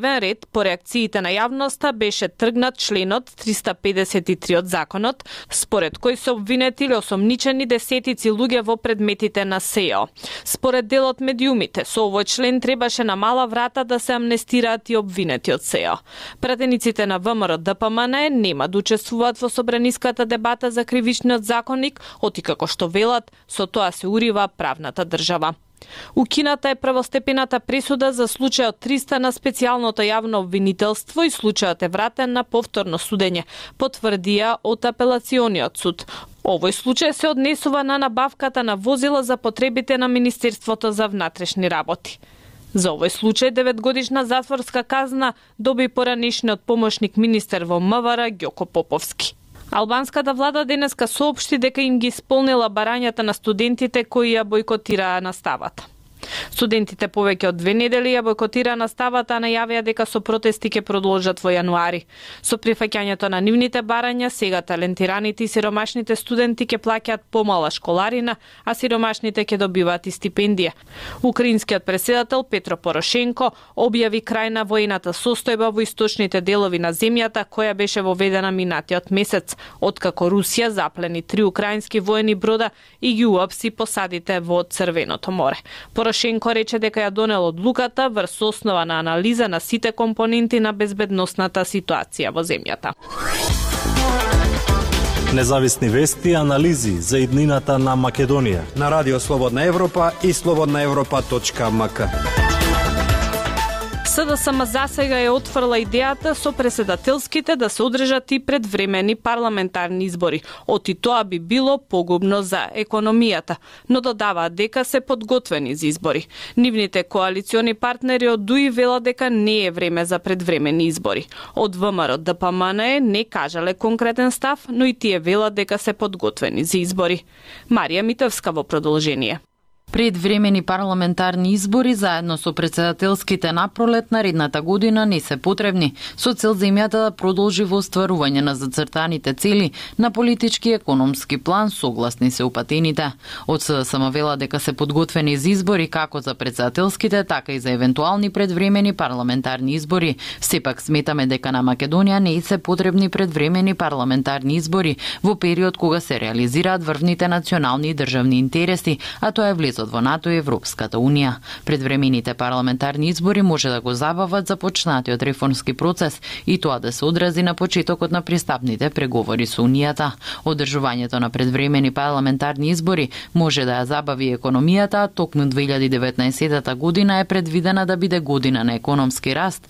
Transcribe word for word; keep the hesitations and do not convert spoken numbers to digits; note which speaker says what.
Speaker 1: ред, по реакциите на јавноста, беше тргнат членот триста педесет и три од законот, според кој се обвинети или осомничени десетици луѓе во предметите на СЕО. Според дел од медиумите, со овој член требаше на мала врата да се амнестираат и обвинети од СЕО. Пратениците на ВМРО Д П М Н нема да учествуваат во собраниската дебата за кривичниот законник, оти како што велат, со тоа се урива правната држава. Укината е првостепената пресуда за случајот триста на специјалното јавно обвинителство и случајот е вратен на повторно судење, потврдија од апелациониот суд. Овој случај се однесува на набавката на возила за потребите на Министерството за внатрешни работи. За овој случај деветгодишна затворска казна доби поранешниот помошник министер во М В Р Ѓоко Поповски. Албанската влада денеска соопшти дека им ги исполнила барањата на студентите кои ја бојкотираа наставата. Студентите повеќе од две недели ја бојкотираа наставата, а најавија дека со протести ќе продолжат во јануари. Со прифаќањето на нивните барања, сега талентираните и сиромашните студенти ќе плаќаат помала школарина, а сиромашните ќе добиваат и стипендија. Украинскиот претседател Петро Порошенко објави крај на воената состојба во источните делови на земјата, која беше воведена минатиот месец, откако Русија заплени три украински воени брода и ги уапси посадите во Црвеното море. Порошенко рече дека ја донел одлуката врз основа на анализа на сите компоненти на безбедносната ситуација во земјата.
Speaker 2: Независни вести и анализи за иднината на Македонија
Speaker 3: на Радио Слободна Европа и слободна европа точка м к.
Speaker 1: С Д С М засега е отфрла идејата со претседателските да се одржат и предвремени парламентарни избори. Оти тоа би било погубно за економијата, но додаваат дека се подготвени за избори. Нивните коалициони партнери од Д У И велат дека не е време за предвремени избори. Од В М Р Д П М Н не кажале конкретен став, но и тие велат дека се подготвени за избори. Марија Митевска во продолжение.
Speaker 4: Предвремени парламентарни избори заедно со претседателските напролет наредната година не се потребни, со цел земјата да продолжи во остварување на зацртаните цели на политички и економски план, согласни се упатените. Од С Д С М вела дека се подготвени за избори како за претседателските, така и за евентуални предвремени парламентарни избори. Сепак сметаме дека на Македонија не се потребни предвремени парламентарни избори во период кога се реализираат врвните национални и државни интереси, а тоа е влез во НАТО и Европската Унија. Предвремените парламентарни избори може да го забават започнатиот реформски процес и тоа да се одрази на почетокот на пристапните преговори со Унијата. Одржувањето на предвремени парламентарни избори може да ја забави економијата, а токму две илјади и деветнаесетта година е предвидена да биде година на економски раст,